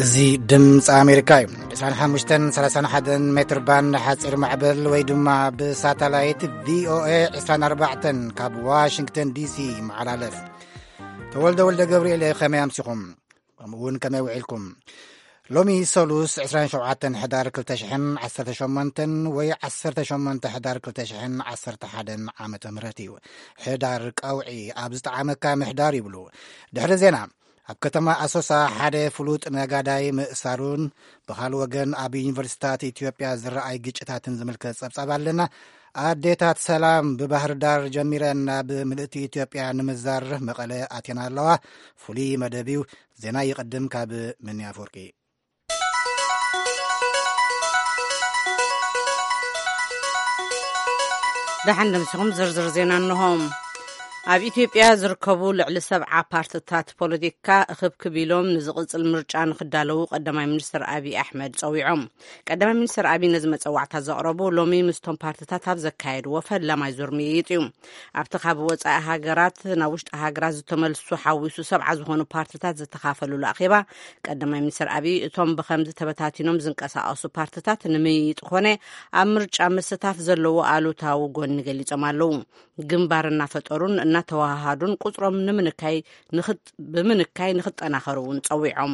እዚ ድምፂ ኣሜሪካ እዩ። ዕስራን ሓሙሽተን ሰላሳን ሓደን ሜትር ባንድ ሓፂር ማዕበል ወይ ድማ ብሳተላይት ቪኦኤ ዕስራን ኣርባዕተን ካብ ዋሽንግተን ዲሲ ይመሓላለፍ። ተወልደ ወልደ ገብርኤል እየ። ከመይ ኣምሲኹም? ከምኡ እውን ከመይ ውዒልኩም? ሎሚ ሰሉስ ዕስራን ሸውዓተን ሕዳር ክልተ ሽሕን ዓሰርተ ሸሞንተን ወይ ዓሰርተ ሸሞንተ ሕዳር ክልተ ሽሕን ዓሰርተ ሓደን ዓመተ ምህረት እዩ። ሕዳር ቀውዒ ኣብ ዝጠዓመካ ምሕዳር ይብሉ። ድሕሪ ዜና፣ ኣብ ከተማ ኣሶሳ ሓደ ፍሉጥ ነጋዳይ ምእሳሩን ብኻልእ ወገን ኣብ ዩኒቨርሲታት ኢትዮጵያ ዝረኣይ ግጭታትን ዝምልከት ጸብጻብ ኣለና። ኣዴታት ሰላም ብባህር ዳር ጀሚረን ናብ ምልእቲ ኢትዮጵያ ንምዛር መቐለ ኣትየን ኣለዋ። ፍሉይ መደብ እዩ። ዜና ይቕድም ካብ ምንያ ኣፈወርቂ። ደሓን ደምሲኹም ዝርዝር ዜና እንሆ። ኣብ ኢትዮጵያ ዝርከቡ ልዕሊ ሰብዓ ፓርትታት ፖለቲካ እኽብክብ ኢሎም ንዝቕጽል ምርጫ ንኽዳለዉ ቀዳማይ ሚኒስትር ኣብይ ኣሕመድ ጸዊዖም። ቀዳማይ ሚኒስትር ኣብይ ነዚ መጸዋዕታ ዘቕረቡ ሎሚ ምስቶም ፓርትታት ኣብ ዘካየድዎ ፈላማይ ዙር ምይይጥ እዩ። ኣብቲ ካብ ወጻኢ ሃገራት ናብ ውሽጢ ሃገራት ዝተመልሱ ሓዊሱ ሰብዓ ዝኾኑ ፓርትታት ዝተኻፈሉሉ ኣኼባ፣ ቀዳማይ ሚኒስትር ኣብይ እቶም ብኸምዚ ተበታቲኖም ዝንቀሳቐሱ ፓርትታት ንምይይጥ ኮነ ኣብ ምርጫ ምስታፍ ዘለዎ ኣሉታዊ ጎኒ ገሊጾም ኣለዉ። ግንባር እናፈጠሩን እናተዋሃሃዱን ቁጽሮም ንምንካይ ንኽጥ-፣ ብምንካይ ንኽጠናኸሩ እውን ጸዊዖም።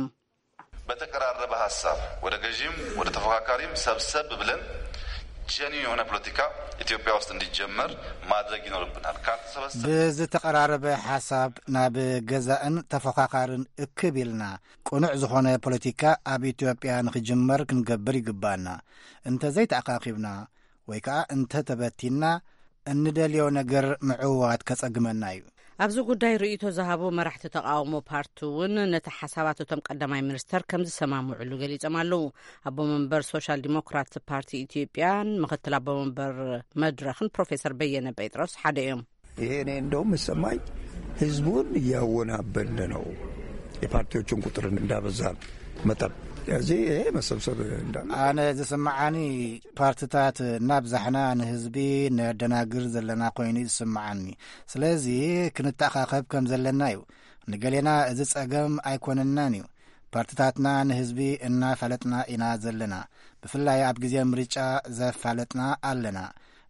በተቀራረበ ሀሳብ ወደ ገዢም ወደ ተፎካካሪም ሰብሰብ ብለን ጀኒን የሆነ ፖለቲካ ኢትዮጵያ ውስጥ እንዲጀመር ማድረግ ይኖርብናል። ካልተሰበሰብ ብዝተቐራረበ ሓሳብ ናብ ገዛእን ተፎካካርን እክብ ኢልና ቅኑዕ ዝኾነ ፖለቲካ ኣብ ኢትዮጵያ ንኽጅመር ክንገብር ይግባና። እንተዘይተኣኻኺብና ወይ ከኣ እንተተበቲንና፣ እንደልዮ ነገር ምዕዋት ከጸግመና እዩ። ኣብዚ ጉዳይ ርእይቶ ዝሃቡ መራሕቲ ተቓውሞ ፓርቲ እውን ነቲ ሓሳባት እቶም ቀዳማይ ሚኒስተር ከም ዝሰማምዕሉ ገሊጾም ኣለዉ። ኣቦ መንበር ሶሻል ዲሞክራት ፓርቲ ኢትዮጵያን ምኽትል ኣቦ መንበር መድረኽን ፕሮፌሰር በየነ ጴጥሮስ ሓደ እዮም። ይሄ እኔ እንደውም የምሰማኝ ህዝቡን እያወናበልን ነው፣ የፓርቲዎቹን ቁጥር እንዳበዛ መጠን። ስለዚህ ይሄ መሰብሰብ እንዳለ ኣነ ዝስምዓኒ፣ ፓርትታት እናብዛሕና ንህዝቢ ነደናግር ዘለና ኮይኑ እዩ ዝስምዓኒ። ስለዚ ክንተኣኻኸብ ከም ዘለና እዩ። ንገሌና እዚ ጸገም ኣይኮነናን እዩ። ፓርትታትና ንህዝቢ እናፋለጥና ኢና ዘለና። ብፍላይ ኣብ ግዜ ምርጫ ዘፋለጥና ኣለና።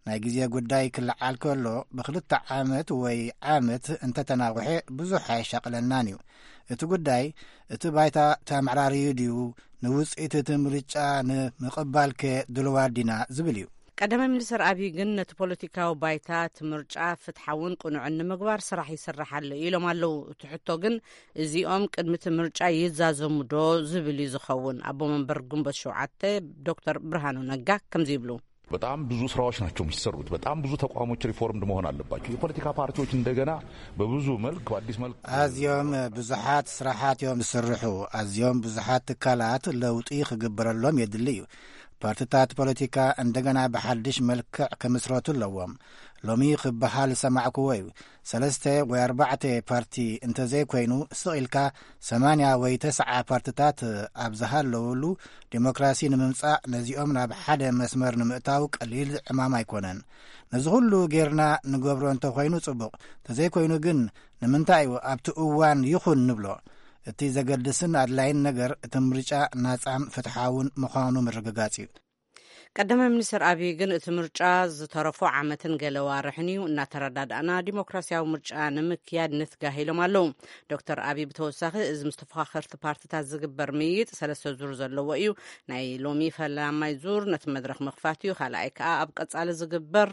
ናይ ግዜ ጉዳይ ክለዓል ከሎ ብክልተ ዓመት ወይ ዓመት እንተተናውሐ ብዙሕ ኣየሻቕለናን እዩ። እቲ ጉዳይ እቲ ባይታ ተመዕራርዩ ድዩ፣ ንውጽኢት እቲ ምርጫ ንምቕባልከ ድልዋት ዲና ዝብል እዩ። ቀዳማይ ሚኒስትር ኣብይ ግን ነቲ ፖለቲካዊ ባይታ እቲ ምርጫ ፍትሓውን ቅኑዕን ንምግባር ስራሕ ይስራሕ ኣሎ ኢሎም ኣለዉ። እቲ ሕቶ ግን እዚኦም ቅድሚ እቲ ምርጫ ይዛዘሙ ዶ ዝብል እዩ ዝኸውን። ኣቦ መንበር ግንቦት ሸውዓተ ዶክተር ብርሃኑ ነጋ ከምዚ ይብሉ። በጣም ብዙ ስራዎች ናቸው የሚሰሩት። በጣም ብዙ ተቋሞች ሪፎርምድ መሆን አለባቸው። የፖለቲካ ፓርቲዎች እንደገና በብዙ መልክ፣ በአዲስ መልክ ኣዝዮም ብዙሓት ስራሓት እዮም ዝስርሑ። ኣዝዮም ብዙሓት ትካላት ለውጢ ክግበረሎም የድሊ እዩ። ፓርትታት ፖለቲካ እንደገና ብሓድሽ መልክዕ ክምስረቱ ኣለዎም። ሎሚ ክበሃል ዝሰማዕክዎ እዩ። ሰለስተ ወይ ኣርባዕተ ፓርቲ እንተዘይኮይኑ፣ ስቕ ኢልካ ሰማንያ ወይ ተስዓ ፓርትታት ኣብ ዝሃለውሉ፣ ዲሞክራሲ ንምምጻእ፣ ነዚኦም ናብ ሓደ መስመር ንምእታው ቀሊል ዕማም ኣይኮነን። ነዚ ኩሉ ጌርና ንገብሮ እንተኾይኑ ጽቡቕ፣ እንተዘይኮይኑ ግን ንምንታይ እዩ ኣብቲ እዋን ይኹን ንብሎ? እቲ ዘገድስን ኣድላይን ነገር እቲ ምርጫ ናጻን ፍትሓውን ምዃኑ ምርግጋጽ እዩ። ቀዳማይ ሚኒስትር ኣብይ ግን እቲ ምርጫ ዝተረፎ ዓመትን ገለ ዋርሕን እዩ፣ እናተረዳዳእና ዲሞክራሲያዊ ምርጫ ንምክያድ ንትጋህ ኢሎም ኣለዉ። ዶክተር ኣብይ ብተወሳኺ እዚ ምስ ተፎኻኸርቲ ፓርትታት ዝግበር ምይይጥ ሰለስተ ዙር ዘለዎ እዩ። ናይ ሎሚ ፈላማይ ዙር ነቲ መድረኽ ምኽፋት እዩ። ካልኣይ ከኣ ኣብ ቀጻሊ ዝግበር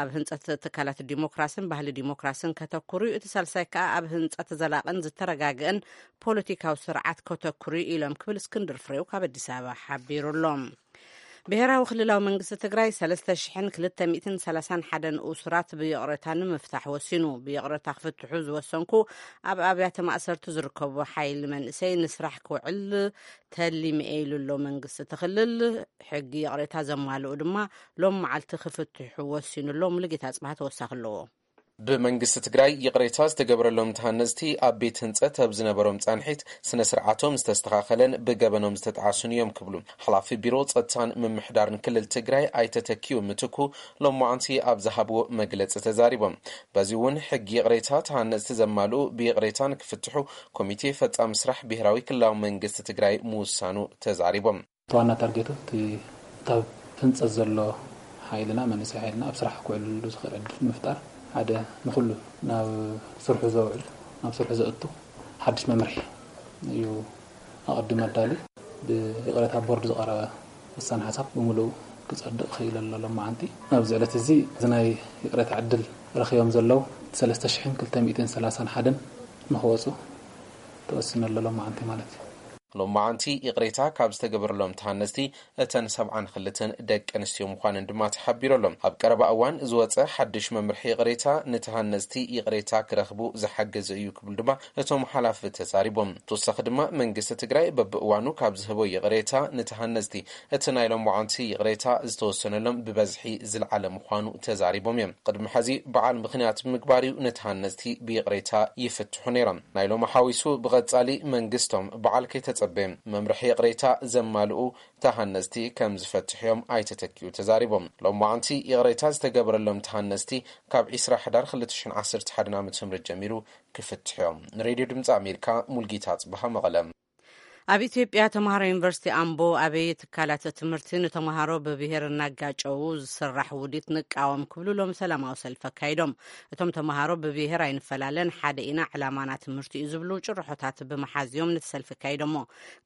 ኣብ ህንጸት ትካላት ዲሞክራስን ባህሊ ዲሞክራስን ከተኩሩ እዩ። እቲ ሳልሳይ ከኣ ኣብ ህንጸት ዘላቕን ዝተረጋግአን ፖለቲካዊ ስርዓት ከተኩሩ እዩ ኢሎም ክብል እስክንድር ፍሬው ካብ ኣዲስ ኣበባ ሓቢሩ ኣሎ። ብሄራዊ ክልላዊ መንግስቲ ትግራይ ሰለስተ ሽሕን ክልተ ሚእትን ሰላሳን ሓደን እሱራት ብይቕሬታ ንምፍታሕ ወሲኑ። ብይቕሬታ ክፍትሑ ዝወሰንኩ ኣብ ኣብያተ ማእሰርቲ ዝርከቡ ሓይሊ መንእሰይ ንስራሕ ክውዕል ተሊመ ኢሉ ኣሎ መንግስቲ እቲ ክልል። ሕጊ ይቕሬታ ዘማልኡ ድማ ሎም መዓልቲ ክፍትሑ ወሲኑ ኣሎ። ሙሉጌታ ኣጽብሃ ተወሳኺ ኣለዎ። ብመንግስቲ ትግራይ ይቕሬታ ዝተገበረሎም ተሃነፅቲ ኣብ ቤት ህንፀት ኣብ ዝነበሮም ፃንሒት ስነ ስርዓቶም ዝተስተኻኸለን ብገበኖም ዝተጣዕሱን እዮም ክብሉ ሓላፊ ቢሮ ፀጥታን ምምሕዳርን ክልል ትግራይ ኣይተ ተኪኡ ምትኩ ሎማዓንቲ ኣብ ዝሃብዎ መግለፂ ተዛሪቦም። በዚ እውን ሕጊ ይቕሬታ ተሃነፅቲ ዘማልኡ ብይቕሬታ ንክፍትሑ ኮሚቴ ፈፃሚ ስራሕ ብሄራዊ ክልላዊ መንግስቲ ትግራይ ምውሳኑ ተዛሪቦም። እቲ ዋና ታርጌቱ እቲ እታ ህንፀት ዘሎ ሓይልና መንእሰይ ሓይልና ኣብ ስራሕ ክውዕልሉ ዝኽእል ዕድል ንምፍጣር ሓደ ንኹሉ ናብ ስርሑ ዘውዕል ናብ ስርሑ ዘእቱ ሓድሽ መምርሒ እዩ ኣቐዲሙ ኣዳልዩ። ብይቕሬታ ቦርድ ዝቐረበ ውሳነ ሓሳብ ብምሉኡ ክጸድቕ ክኢለ ኣሎ ሎማዓንቲ። ኣብዚ ዕለት እዚ እዚ ናይ ይቕሬታ ዕድል ረኺቦም ዘለዉ ሰለስተ ሽሕን ክልተ ሚእትን ሰላሳን ሓደን ንኽወፁ ተወሲኑ ኣሎ ሎማዓንቲ ማለት እዩ። ሎማዓንቲ ይቕሬታ ካብ ዝተገበረሎም ተሃነፅቲ እተን ሰብዓን ክልተን ደቂ ኣንስትዮ ምዃነን ድማ ተሓቢሩ ኣሎ። ኣብ ቀረባ እዋን ዝወፀ ሓድሽ መምርሒ ይቕሬታ ንተሃነፅቲ ይቕሬታ ክረኽቡ ዝሓገዘ እዩ ክብሉ ድማ እቶም ሓላፊ ተዛሪቦም። ተወሳኺ ድማ መንግስቲ ትግራይ በብእዋኑ ካብ ዝህቦ ይቕሬታ ንተሃነፅቲ እቲ ናይ ሎማዓንቲ ይቕሬታ ዝተወሰነሎም ብበዝሒ ዝለዓለ ምዃኑ ተዛሪቦም እዮም። ቅድሚ ሕዚ በዓል ምኽንያት ብምግባር እዩ ንተሃነፅቲ ብይቕሬታ ይፍትሑ ነይሮም። ናይ ሎሚ ሓዊሱ ብቐጻሊ መንግስቶም በዓል ከይተጸበየ መምርሒ ይቕሬታ ዘማልኡ ተሃነፅቲ ከም ዝፈትሑ እዮም ኣይተ ተኪኡ ተዛሪቦም። ሎማዓንቲ ይቕሬታ ዝተገበረሎም ተሃነፅቲ ካብ ዒስራ ሕዳር ክልተ ሽሕን ዓሰርተ ሓደን ዓመተ ምህረት ጀሚሩ ክፍትሑ እዮም። ንሬድዮ ድምፂ ኣሜሪካ ሙልጌታ ኣጽብሃ መቐለ። ኣብ ኢትዮጵያ ተምሃሮ ዩኒቨርሲቲ ኣምቦ ኣበየ ትካላት ትምህርቲ ንተምሃሮ ብብሄር እናጋጨዉ ዝስራሕ ውዲት ንቃወም ክብሉ ሎም ሰላማዊ ሰልፊ ኣካይዶም። እቶም ተምሃሮ ብብሄር ኣይንፈላለን፣ ሓደ ኢና፣ ዕላማና ትምህርቲ እዩ ዝብሉ ጭርሖታት ብምሓዝ እዮም ነቲ ሰልፊ ኣካይዶሞ።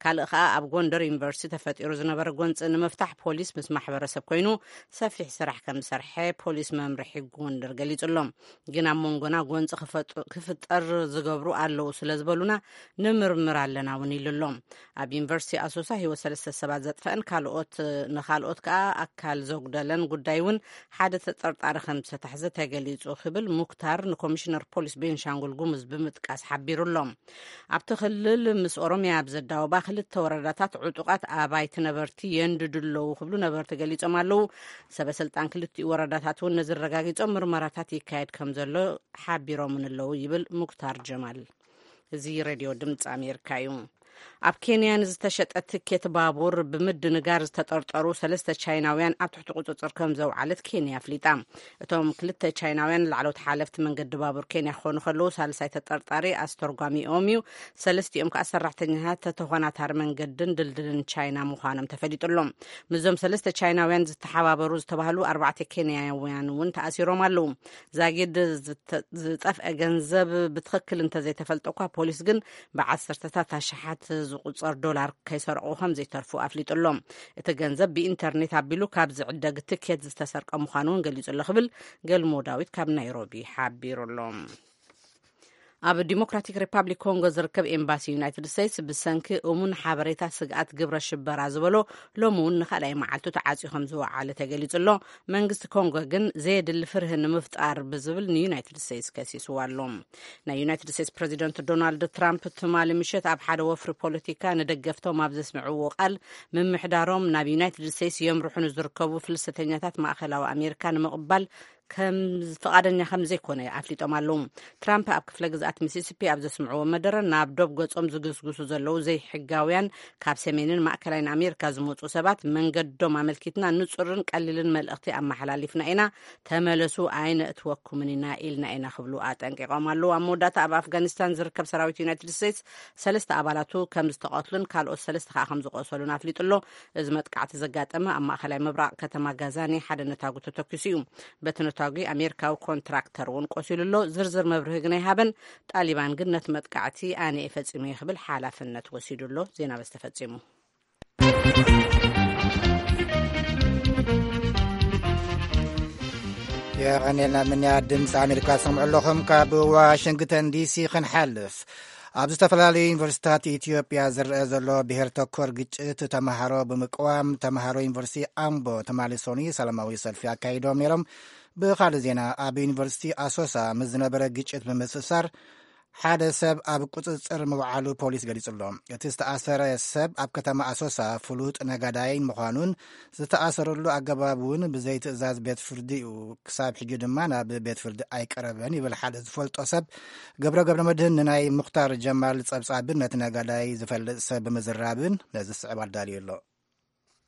ካልእ ኸኣ ኣብ ጎንደር ዩኒቨርሲቲ ተፈጢሩ ዝነበረ ጎንፂ ንምፍታሕ ፖሊስ ምስ ማሕበረሰብ ኮይኑ ሰፊሕ ስራሕ ከም ዝሰርሐ ፖሊስ መምርሒ ጎንደር ገሊጹ ኣሎ። ግን ኣብ መንጎና ጎንፂ ክፈጥ-፣ ክፍጠር ዝገብሩ ኣለዉ ስለ ዝበሉና ንምርምር ኣለና እውን ኢሉ ኣሎ። ኣብ ዩኒቨርሲቲ ኣሶሳ ህይወት ሰለስተ ሰባት ዘጥፈአን ካልኦት፣ ንኻልኦት ከኣ ኣካል ዘጉደለን ጉዳይ እውን ሓደ ተጠርጣሪ ከም ዝተታሕዘ ተገሊጹ ክብል ሙክታር ንኮሚሽነር ፖሊስ ቤንሻንጉል ጉሙዝ ብምጥቃስ ሓቢሩ ኣሎ። ኣብቲ ክልል ምስ ኦሮሚያ ኣብ ዘዳወባ ክልተ ወረዳታት ዕጡቓት ኣባይቲ ነበርቲ የንድዱ ኣለዉ ክብሉ ነበርቲ ገሊጾም ኣለዉ። ሰበ ስልጣን ክልቲኡ ወረዳታት እውን ነዚ ኣረጋጊጾም ምርመራታት ይካየድ ከም ዘሎ ሓቢሮምን ኣለዉ ይብል ሙክታር ጀማል። እዚ ሬድዮ ድምፂ ኣሜሪካ እዩ። ኣብ ኬንያ ንዝተሸጠ ትኬት ባቡር ብምድንጋር ዝተጠርጠሩ ሰለስተ ቻይናውያን ኣብ ትሕቲ ቁፅፅር ከም ዘውዓለት ኬንያ ኣፍሊጣ። እቶም ክልተ ቻይናውያን ላዕለዎት ሓለፍቲ መንገዲ ባቡር ኬንያ ክኾኑ ከለዉ፣ ሳልሳይ ተጠርጣሪ ኣስተርጓሚኦም እዩ። ሰለስቲኦም ከኣ ሰራሕተኛታት ተኾናታሪ መንገድን ድልድልን ቻይና ምዃኖም ተፈሊጡ ኣሎ። ምስዞም ሰለስተ ቻይናውያን ዝተሓባበሩ ዝተባህሉ ኣርባዕተ ኬንያውያን እውን ተኣሲሮም ኣለዉ። ዛጊድ ዝተ-፣ ዝጠፍአ ገንዘብ ብትኽክል እንተዘይተፈልጠ እኳ፣ ፖሊስ ግን ብዓሰርተታት ኣሽሓት ዝቑጸር ዶላር ከይሰርቑ ከም ዘይተርፉ ኣፍሊጡ ኣሎ። እቲ ገንዘብ ብኢንተርኔት ኣቢሉ ካብ ዝዕደግ ትኬት ዝተሰርቀ ምዃኑ እውን ገሊጹ ኣሎ ክብል ገልሞ ዳዊት ካብ ናይሮቢ ሓቢሩ ኣሎ። ኣብ ዲሞክራቲክ ሪፓብሊክ ኮንጎ ዝርከብ ኤምባሲ ዩናይትድ ስቴትስ ብሰንኪ እሙን ሓበሬታ ስግኣት ግብረ ሽበራ ዝበሎ ሎሚ እውን ንኻልኣይ መዓልቱ ተዓጽዩ ከም ዝወዓለ ተገሊጹ ኣሎ። መንግስቲ ኮንጎ ግን ዘየድሊ ፍርሂ ንምፍጣር ብዝብል ንዩናይትድ ስቴትስ ከሲስዋ ኣሎ። ናይ ዩናይትድ ስቴትስ ፕሬዚደንት ዶናልድ ትራምፕ ትማሊ ምሸት ኣብ ሓደ ወፍሪ ፖለቲካ ንደገፍቶም ኣብ ዘስምዕዎ ቃል፣ ምምሕዳሮም ናብ ዩናይትድ ስቴትስ የምርሑ ንዝርከቡ ፍልሰተኛታት ማእኸላዊ ኣሜሪካ ንምቕባል ከም ፍቓደኛ ከም ዘይኮነ ኣፍሊጦም ኣለዉ። ትራምፕ ኣብ ክፍለ ግዝኣት ሚሲሲፒ ኣብ ዘስምዕዎ መደረ፣ ናብ ዶብ ገጾም ዝግስግሱ ዘለዉ ዘይሕጋውያን ካብ ሰሜንን ማእከላይን ኣሜሪካ ዝመጹ ሰባት መንገዶም ኣመልኪትና ንጹርን ቀሊልን መልእኽቲ ኣመሓላሊፍና ኢና፣ ተመለሱ፣ ኣይነእትወኩምን ኢና ኢልና ኢና ክብሉ ኣጠንቂቖም ኣለዉ። ኣብ መወዳእታ ኣብ ኣፍጋኒስታን ዝርከብ ሰራዊት ዩናይትድ ስቴትስ ሰለስተ ኣባላቱ ከም ዝተቐትሉን ካልኦት ሰለስተ ከኣ ከም ዝቆሰሉን ኣፍሊጡ ኣሎ። እዚ መጥቃዕቲ ዘጋጠመ ኣብ ማእኸላይ ምብራቕ ከተማ ጋዛኒ ሓደ ነታጉ ተተኪሱ እዩ። በቲ ነታጒ ኣሜሪካዊ ኮንትራክተር እውን ቆሲሉ ኣሎ። ዝርዝር መብርሂ ግን ኣይሃበን። ጣሊባን ግን ነቲ መጥቃዕቲ ኣነ እየ ፈጺመዮ ክብል ሓላፍነት ወሲዱ ኣሎ። ዜና በዚ ተፈጺሙ። የቐኔልና ምንያ ድምፂ ኣሜሪካ ትሰምዑ ኣለኹም። ካብ ዋሽንግተን ዲሲ ክንሓልፍ፣ ኣብ ዝተፈላለዩ ዩኒቨርሲታት ኢትዮጵያ ዝረአ ዘሎ ብሄር ተኮር ግጭት ተምሃሮ ብምቅዋም፣ ተምሃሮ ዩኒቨርሲቲ ኣምቦ ትማሊ ሰኑይ ሰላማዊ ሰልፊ ኣካይዶም ነይሮም። ብኻልእ ዜና፣ ኣብ ዩኒቨርሲቲ ኣሶሳ ምስ ዝነበረ ግጭት ብምትእስሳር ሓደ ሰብ ኣብ ቁጽጽር ምውዓሉ ፖሊስ ገሊጹ ኣሎ። እቲ ዝተኣሰረ ሰብ ኣብ ከተማ ኣሶሳ ፍሉጥ ነጋዳይ ምዃኑን ዝተኣሰረሉ ኣገባብ እውን ብዘይ ትእዛዝ ቤት ፍርዲ እዩ። ክሳብ ሕጂ ድማ ናብ ቤት ፍርዲ ኣይቀረበን ይብል ሓደ ዝፈልጦ ሰብ። ገብረ ገብረ መድህን ንናይ ሙኽታር ጀማል ጸብጻብን ነቲ ነጋዳይ ዝፈልጥ ሰብ ብምዝራብን ነዚ ዝስዕብ ኣዳልዩ ኣሎ።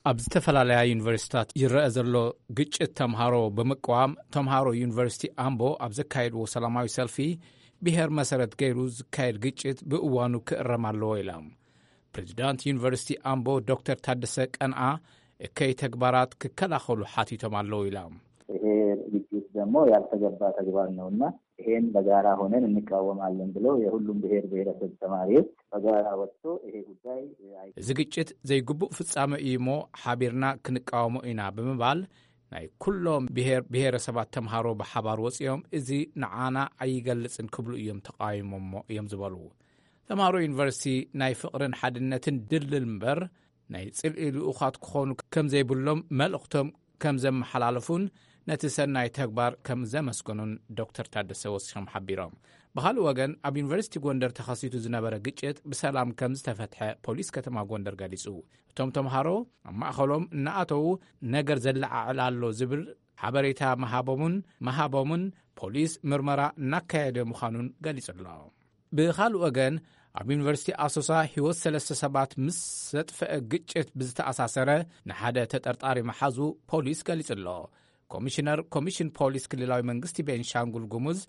ኣብ ዝተፈላለያ ዩኒቨርሲታት ይረአ ዘሎ ግጭት ተምሃሮ ብምቅዋም፣ ተምሃሮ ዩኒቨርሲቲ ኣምቦ ኣብ ዘካየድዎ ሰላማዊ ሰልፊ፣ ብሄር መሰረት ገይሩ ዝካየድ ግጭት ብእዋኑ ክእረም ኣለዎ ኢሎም። ፕሬዚዳንት ዩኒቨርሲቲ ኣምቦ ዶክተር ታደሰ ቀንኣ፣ እከይ ተግባራት ክከላኸሉ ሓቲቶም ኣለዉ ኢሎም። ይሄ ግጭት ደግሞ ያልተገባ ተግባር ነውና ይሄን በጋራ ሆነን እንቃወማለን ብለው የሁሉም ብሔር ብሔረሰብ ተማሪዎች በጋራ ወጥቶ ይሄ ጉዳይ አይ- እዚ ግጭት ዘይግቡእ ፍጻመ እዩ እሞ፣ ሓቢርና ክንቃወሞ ኢና ብምባል፣ ናይ ኩሎም ብሔር ብሔረሰባት ተምሃሮ ብሓባር ወጺኦም፣ እዚ ንዓና ኣይገልጽን ክብሉ እዮም ተቃዊሞሞ እዮም ዝበሉ። ተምሃሮ ዩኒቨርሲቲ ናይ ፍቕርን ሓድነትን ድልድል እምበር፣ ናይ ጽልኢ ልኡኻት ክኾኑ ከም ዘይብሎም መልእኽቶም ከም ዘመሓላለፉን ነቲ ሰናይ ተግባር ከም ዘመስገኑን ዶክተር ታደሰ ወሲኾም ሓቢሮም። ብኻልእ ወገን፣ ኣብ ዩኒቨርሲቲ ጎንደር ተኸሲቱ ዝነበረ ግጭት ብሰላም ከም ዝተፈትሐ ፖሊስ ከተማ ጎንደር ገሊጹ። እቶም ተምሃሮ ኣብ ማእኸሎም እናኣተዉ ነገር ዘለዓዕል ኣሎ ዝብል ሓበሬታ ምሃቦምን ምሃቦምን ፖሊስ ምርመራ እናካየደ ምዃኑን ገሊጹ ኣሎ። ብኻልእ ወገን፣ ኣብ ዩኒቨርሲቲ ኣሶሳ ህይወት ሰለስተ ሰባት ምስ ዘጥፈአ ግጭት ብዝተኣሳሰረ ንሓደ ተጠርጣሪ መሓዙ ፖሊስ ገሊጹ ኣሎ። ኮሚሽነር ኮሚሽን ፖሊስ ክልላዊ መንግስቲ ቤንሻንጉል ጉሙዝ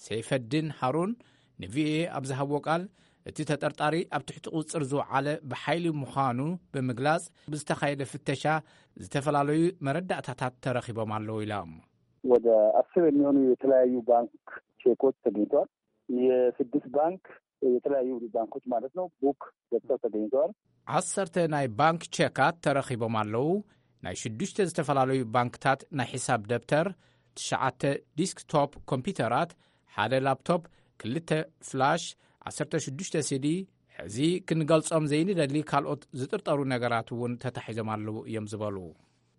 ሰይፈዲን ሃሩን ንቪኦኤ ኣብ ዝሃብዎ ቃል፣ እቲ ተጠርጣሪ ኣብ ትሕቲ ቁጽጽር ዝወዓለ ብሓይሊ ምዃኑ ብምግላጽ፣ ብዝተኻየደ ፍተሻ ዝተፈላለዩ መረዳእታታት ተረኺቦም ኣለዉ ኢሎም። ወደ አስር የሚሆኑ የተለያዩ ባንክ ቼኮች ተገኝተዋል። የስድስት ባንክ፣ የተለያዩ ባንኮች ማለት ነው፣ ቡክ ገብተው ተገኝተዋል። ዓሰርተ ናይ ባንክ ቼካት ተረኺቦም ኣለዉ። ናይ ሽዱሽተ ዝተፈላለዩ ባንክታት ናይ ሒሳብ ደብተር፣ ትሽዓተ ዲስክቶፕ ኮምፒውተራት፣ ሓደ ላፕቶፕ፣ ክልተ ፍላሽ፣ ዓሰርተ ሽዱሽተ ሲዲ፣ ሕዚ ክንገልጾም ዘይንደሊ ካልኦት ዝጥርጠሩ ነገራት እውን ተታሒዞም ኣለዉ እዮም ዝበሉ።